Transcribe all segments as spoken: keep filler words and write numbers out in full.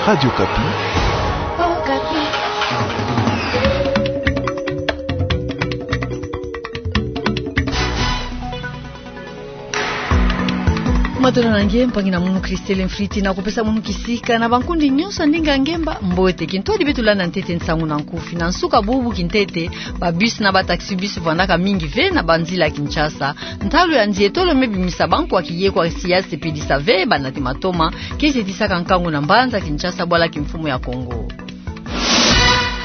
Radio Okapi. Matondo na nge, mpangi na munu Christelle Mfriti, na kupesa munu kisika na bankundi nyonso ya ndinga ngemba mbote. Kintwadi beto landa ntete nsangu na nkufi. Na nsuka bubu kintete, ba bus na ba taxi-bus vwandaka mingi ve na banzila ya Kinshasa. Ntalu ya nzietolo me bimisa bankwa kiye kwa siasi pedisa ve banati matoma, ke zetisaka nkangu na mbanza Kinshasa, bwala kimfumu ya Kongo.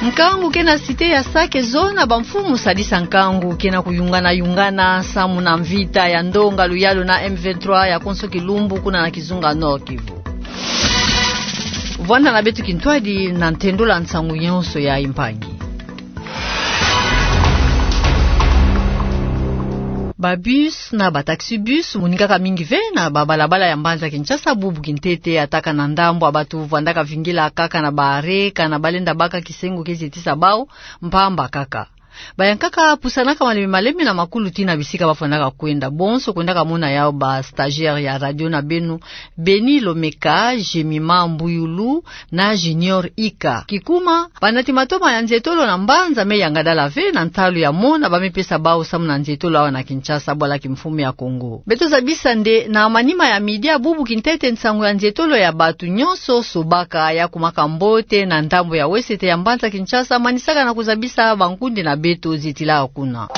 Nkangu ke na cité ya Sake, zona bamfumu sadisa nkangu ke na kuyungana-yungana samu na mvita ya ndonga luyalu na M vingt-trois ya konso kilumbu kuna na kizunga Nord-Kivu. Vwanda na beto kintwadi na ntendolo ya nsangu nyonso ya impangi. Ba bus na ba taxi-bus monikaka mingi ve na babalabala ya mbanza Kinshasa bubu kintete, ataka na ndambu ya bato vwandaka vingila kaka na ba arrêt, kana balenda baka kisengo ke zetisa bau, mpamba kaka. Bayankaka pusanaka malembe-malembe na makulu tii na bisika bavwandaka kwenda. Bonso kwendaka mona yau ba stagiaire ya radio na beno, Beni Lomeka, Jemima Mbuyulu, na Junior Ika. Kikuma, banati matoma ya nzietolo na mbanza me yangadala ve na ntalu ya mona ba me pesa bau samu na nzietolo awa na Kinshasa, bwala kimfumu ya Kongo. Beto zabisa nde na manima ya midi ya bubu kintete, nsangu ya nzietolo ya bato nyonso sobaka, ya kumaka mbote na ndambu ya wesete ya mbanza Kinshasa, manisaka na kuzabisa bankundi na beto zetila kuna.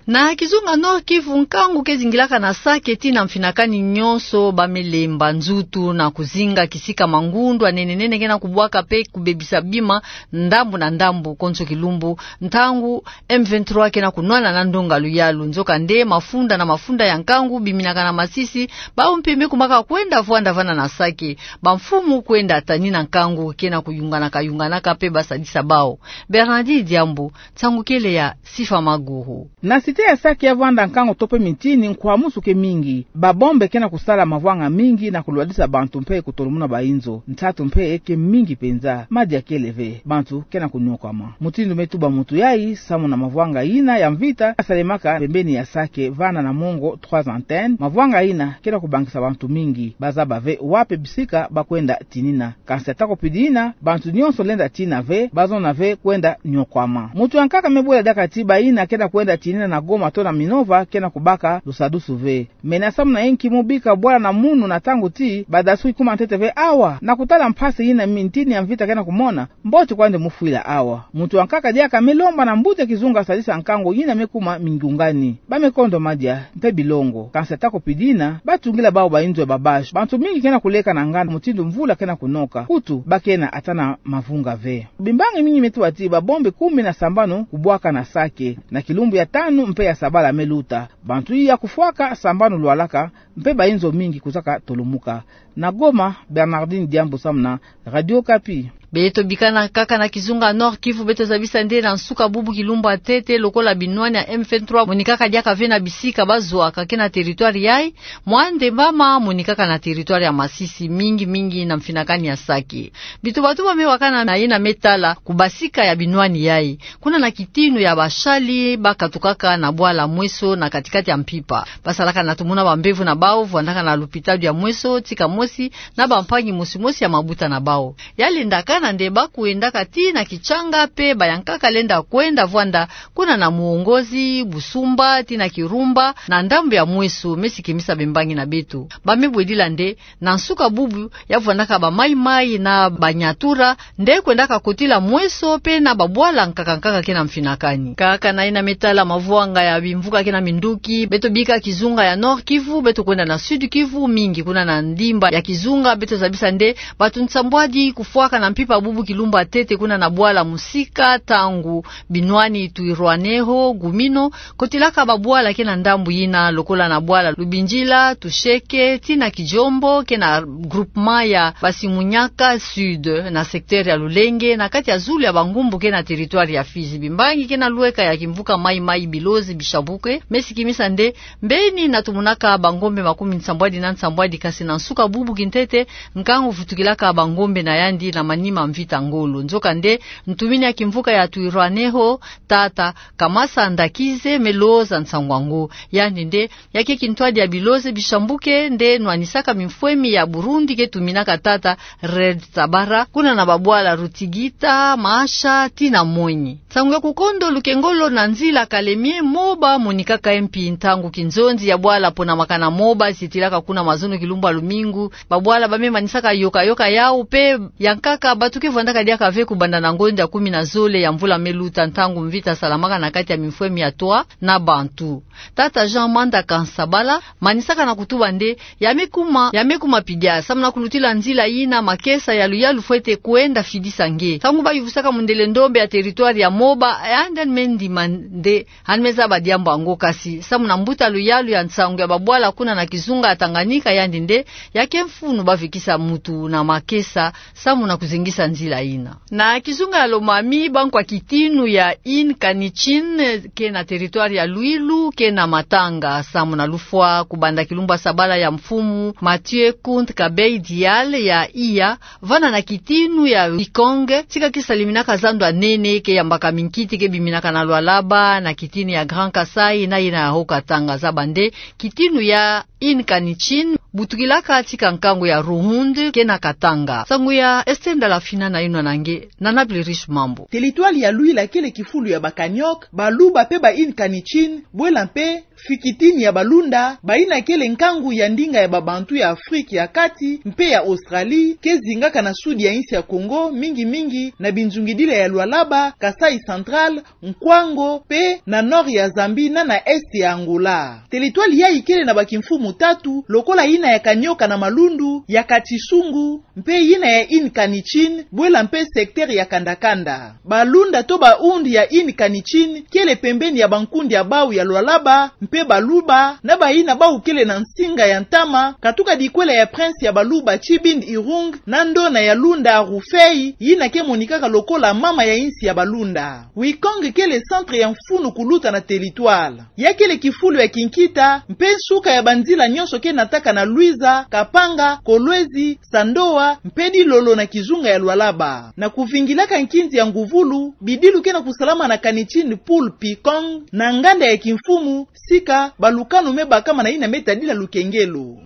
Na kizunga Nord-Kivu, nkangu ke zingilaka na Sake tii na mfinakani nyonso, ba me lemba nzutu na kuzinga kisika mangundu ya nene-nene ke na kubwaka pe kubebisa bima ndambu na ndambu konso kilumbu, ntangu M vingt-trois ke na kunwana na ndonga luyalu. Nzokande, mafunda na mafunda ya nkangu biminaka na masisi, bau mpe me kumaka kwenda vwanda vana na Sake. Bamfumu kwenda tanina nkangu ke na kuyunganaka-yunganaka pe ba sadisa bau. Bernardine Diambu, nsangu kele ya Sifa Maguru. Na cité ya Sake, ya vwanda nkangu to pe mitini, nkwamusu ke mingi. Ba bombe ke na kusala mavwanga mingi na kulwadisa bantu mpe kutolomuna bainzo. Nsatu mpe ke mingi mpenza. Madia kele ve. Bantu ke na kunyokwama. Mutindu me tuba mutu yai, samu na mavwanga yina ya mvita yasalemaka pembeni ya Sake, vana na mongo Trois-Antennes, mavwanga yina ke na kubangisa bantu mingi. Bazaba ve wapi bisika ba kwenda tinina. Kansi atako pidi yina, bantu nyonso lenda tina ve, bazona ve kwenda nyokwama. Mutu ya nkaka me bwela diaka ti bayina ke na kwenda tinina na Goma to na Minova ke na kubaka lusadusu ve. Mena samu na inki mu bika bwala na munu na ntangu ti badasukwi kuma ntete ve awa, na kutala mpasi yina mitini ya mvita ke na kumona? Mbote kwandi mu fwila awa. Mutu ya nkaka diaka me lomba na mbuta kizunga sadisa nkangu yina me kuma mingiungani. Ba me kondo madia mpe bilongo. Kansi atako pidi yina, ba tungila bau bainzo ya babasi. Bantu mingi ke na kuleka na nganda mutindu mvula ke na kunoka. Kutu ba ke na ata na mavunga ve. Bimbangi mingi me tuba ti ba bombe kumi na sambanu kubwaka na Sake na kilumbu ya tanu mpe ya sabala me luta. Bantu ya kufwaka sambanu lwalaka, mpe bainzo mingi kuzaka tolumuka. Na Goma, Bernardine Diambu samu na Radio Okapi. Beto bikana kaka na kizunga Nord-Kivu, beto zabisa nde na nsuka bubu kilumbu ya ntete, lokola binwani ya M vingt-trois monikaka diaka ve na bisika bazwaka ke na territoire yai, mwa nde mama monikaka na territoire ya Masisi, mingi-mingi na mfinakani ya Sake. Bituba-tuba me wakana na yina me tala kubasika ya binwani yai. Kuna na kitinu ya basali ba katukaka na bwala Mweso na kati-kati ya mpimpa, basalaka na tumuna bambevo na bau, vwandaka na lupitalu ya Mweso tika mosi na bampangi mosi-mosi ya mabuta na bau. Ya lendakana nde ba kwendaka tii na Kitshanga mpe bayankaka lenda kwenda vwanda kuna na Muongozi, Busumba, tii na Kirumba, na ndambu ya Mweso, me sikimisa bimbangi na beto. Ba me bwedila nde na nsuka bubu ya vwandaka ba Maï-Maï na ba Nyatura nde kwendaka kotila Mweso mpe na babwala nkaka-nkaka ke na mfinakani. Kaka na yina me tala mavwanga ya bimvuka ke na minduki, beto bika kizunga ya Nord-Kivu, beto kwenda na Sud-Kivu, mingi kuna na ndimba ya kizunga, beto zabisa nde bantu nsambwadi kufwaka na mpimpa bubu kilumbu ya ntete kuna na bwala Musika, ntangu binwani Twirwaneho, Gumino, kotilaka babwala ke na ndambu yina, lokola na bwala Lubindjila, Tusheke, tii na Kijombo, ke na groupement ya Basimunyaka Sud, na secteur ya Lulenge, na kati ya zulu ya Bangumbu ke na territoire ya Fizi. Bimbangi ke na lweka ya kimvuka Maï-Maï, bilozi bishabuke, me sikimisa nde mbeni na tumunaka bangombe makumi nsambwadi na nsambwadi, kansi na nsuka bubu kintete, nkangu vutukilaka bangombe na yandi na manima ma mvita ngolo. Nzokande, ntumini ya kimvuka ya Twirwaneho, tata Kamasa Ndakize, me loza nsangu yango. Yandi nde, ya ke kintwadi ya bilozi bisambuke nde nwanisaka mimfwemi ya Burundi ke tuminaka tata Red Tabara, kuna na babwala Rutigita, Masha, tii na Monyi. Nsangu ya kukondo lukengolo na nzila Kalemie Moba monikaka mpi ntangu kinzonzi ya bwala pona makana Moba zitilaka kuna mazono kilumbu ya lumingu, babwala ba me manisaka yoka-yoka yau mpe ya nkaka bato ke vwandaka diaka ve kubanda na ngonda ya kumi na zole ya mvula me luta ntangu mvita salamaka na kati ya mimfwemi ya Twa na Bantu. Tata Jean Manda Kansabala manisaka na kutuba nde ya me kuma, ya me kuma pidia, samu na kulutila nzila yina makesa ya luyalu fwete kwenda fidisa nge. Ntangu ba yuvusaka mundele ndombe ya territoire ya Moba, yandi me ndima nde yandi me zaba diambu yango, kasi samu na mbuta luyalu ya nsangu ya babwala kuna na kizunga ya Tanganyika, yandi nde ya ke mfunu ba vikisa mutu na makesa samu na kuzengisa nzila yina. Na kizunga ya Lomami, bankwa kitinu ya Ine Kanichine ke na territoire ya Luilu ke na matanga samu na lufwa kubanda kilumbu ya sabala ya mfumu Mathieu Kunt Kabei Dial ya iya, vana na kitinu ya Wikonge, tika ke saliminaka zando ya nene ke yambaka minkiti ke biminaka na Lualaba, na kitinu ya Grand Kasaï, na yina ya Haut-Katanga. Zaba nde, kitinu ya Ine Kanichine butukilaka tika nkangu ya Ruhund ke na Katanga. Nsangu ya Esther Ndala Fina na yinwa na nge, Nana Blerish Mambu. Territoire ya Luilu kele kifulu ya ba Kaniok, Baluba mpe ba Ine Kanichine, bwela mpe fikitini ya Balunda, bayina kele nkangu ya ndinga ya Babantu ya Afrique ya Kati mpe ya Australie, ke zingaka na sud ya insi ya Congo, mingi-mingi na binzungidila ya Lualaba, Kasaï Central, Nkwango, mpe na nord ya Zambie na na est ya Angola. Territoire yayi kele na bakimfumu tatu, lokola yina ya Kanioka na Malundu, ya Katisungu, mpe yina ya Ine Kanichine, bwela mpe secteur ya Kandakanda. Balunda to ba Hund ya Ine Kanichine kele pembeni ya bankundi ya bau ya Lualaba mpe Baluba, na bayina bau kele na nsinga ya ntama, katuka dikwela ya prince ya Baluba Tshibindi Irung, na ndona ya Lunda Rufei, yina ke monikaka lokola mama ya insi ya Balunda. Wikonge kele centre ya mfunu kuluta na territoire. Ya kele kifulu ya kinkita, mpe nsuka ya banzila nyonso ke nataka na Luiza, Kapanga, Kolwezi, Sandoa, mpe Dilolo na kizunga ya Lualaba. Na kuvingilaka nkinzi ya nguvulu, bidilu ke na kusalama na Kanichine Pool Pikong, na nganda ya kimfumu, sika balukanu me bakama na yina me tadila lukengelo.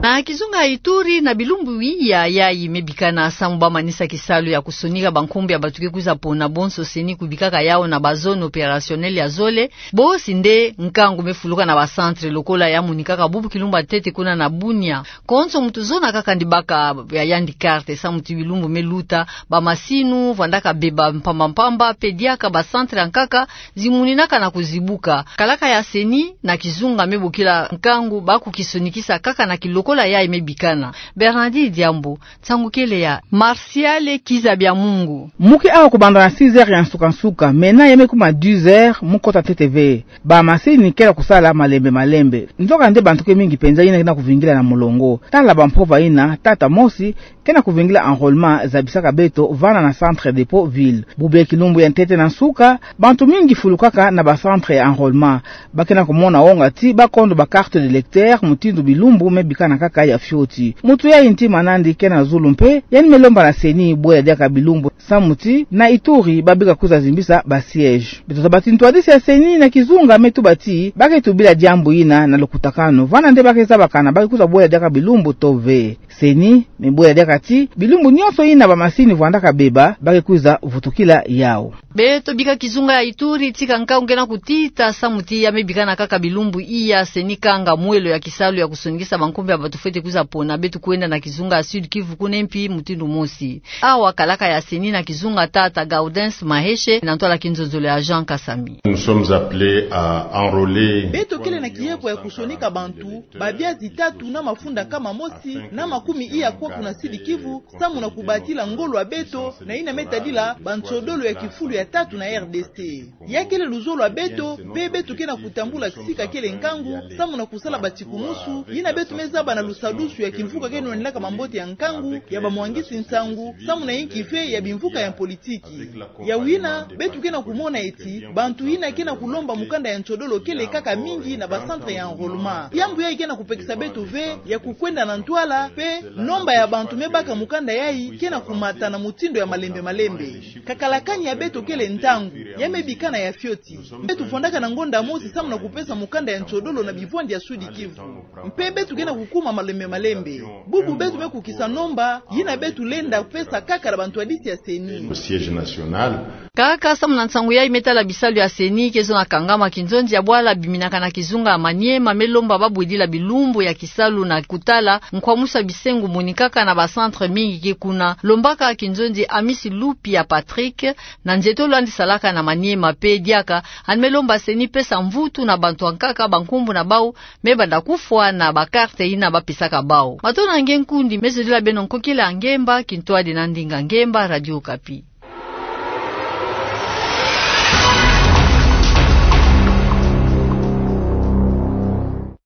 Na kizunga ya Ituri, na bilumbu iya yayi me bikana, samu ba manisa kisalu ya kusonika bankumbu ya bato ke kwiza pona bonso CENI kubikaka yau na ba zones opérationnelles ya zole, bosi nde nkangu me fuluka na ba centres lokola ya monikaka bubu kilumbu ya ntete kuna na Bunia. Konso muntu zona kaka ndi baka ya yandi carte, samu ti bilumbu me luta, ba masinu vwandaka beba mpamba-mpamba, mpe diaka ba centres ya nkaka zimoninaka na kuzibuka. Kalaka ya CENI na kizunga me bokila nkangu ba kukisonikisa kaka na kilokola yayi me bikana. Bernardine Diambu, nsangu kele ya Martial Kizabia Mungu. Mu ke awa kubanda na six heures ya nsuka-nsuka, mena ya me kuma dix heures mu kota ntete ve. Ba masini ke na kusala malembe-malembe. Nzokande bantu ke mingi penza yina ke na kuvingila na molongo. Tala bampova yina, tata mosi ke na kuvingila enrôlement zabisaka beto vana na centre dépôt ville. Bubu ya kilumbu ya ntete na nsuka, bantu mingi fulukaka na ba centres ya enrôlement. Ba ke na kumona wonga ti ba kondo ba carte d'électeur mutindu bilumbu me bikana kaka ya fioti. Muntu yayi ntima nandi ke na zulu mpe, yandi me lomba na CENI bwela diaka bilumbu, samu ti na Ituri ba bika kwiza zimbisa ba sièges. Beto zaba ti ntwadisi ya CENI na kizunga me tuba ti ba ke tubila diambu yina na lukutakanu. Vana nde ba ke zabakana ba ke kwiza bwela diaka bilumbu to ve. CENI me bwela diaka ti bilumbu nyonso yina ba masini vwandaka beba, ba ke kwiza vutukila yau. Beto bika kizunga ya Ituri, tika nkangu ke na kutita, samu ti ya me bikana kaka bilumbu iya, CENI kanga mwelo ya kisalu ya kusonikisa bankumbu ya bato fwete kwiza pona. Beto kwenda na kizunga ya Sud-Kivu, kuna mpi mutindu mosi. Awa kalaka ya CENI na kizunga, tata Gaudens Maheshe, na ntwala kinzonzolo ya Jean Kasami. Nous sommes appelés à enrôler. Beto kele na kihepo ya kusonika bantu babia zitatu na mafunda nkama mosi na makumi iya kwaku na Sud-Kivu, samu na kubatila ngolo ya beto na yina me tadila bansodolo ya kifulu ya tatu na RDC. Ya kele luzolo ya beto, mpe beto ke na kutambula sika kele nkangu, samu na kusala batikumusu yina beto me zaba na lusadusu ya kimvuka ke nwanilaka mambote ya nkangu ya bamwangisi nsangu, samu na yinki ve ya bimvuka ya politiki. Ya wina, beto ke na kumona eti bantu yina ke na kulomba mukanda ya ntiodolo kele kaka mingi na ba centre ya enrôlement. Yambu yayi ke na kupekisa beto ve ya kukwenda na ntwala, mpe nomba ya bantu me baka mukanda yayi ke na kumata na mutindo ya malembe malembe. Kakalakani ya beto kele ntangu, ya me bikana ya fioti. Beto vwandaka na ngonda mosi samu na kupesa mukanda ya ntiodolo na bivwandi ya Sud-Kivu. Mpe beto ke na kukuma malembe malembe. Bubu beto me kukisa nomba yina beto lenda pesa kaka na bantwadisi ya CENI. Au siège national. Kaka samu na nsangu yayi, me tala bisalu ya CENI ke zo na kangama kinzonzi ya bwala biminaka na kizunga ya Maniema me lomba babwidila bilumbu ya kisalu na kutala nkwamusa bisengo monikaka na ba centre mingi ke kuna. Lombaka kinzonzi Amisi Lupia Patrick, na nzietolo yandi salaka na Maniema mpe diaka, yandi me lomba CENI pesa mvutu na bantu yankaka bankumbu na bau me banda kufwa na ba carte yina bapesaka bau. Matondo na nge nkundi, me zodila beno nkokila ya ngemba, kintwadi na ndinga ngemba, Radio Okapi.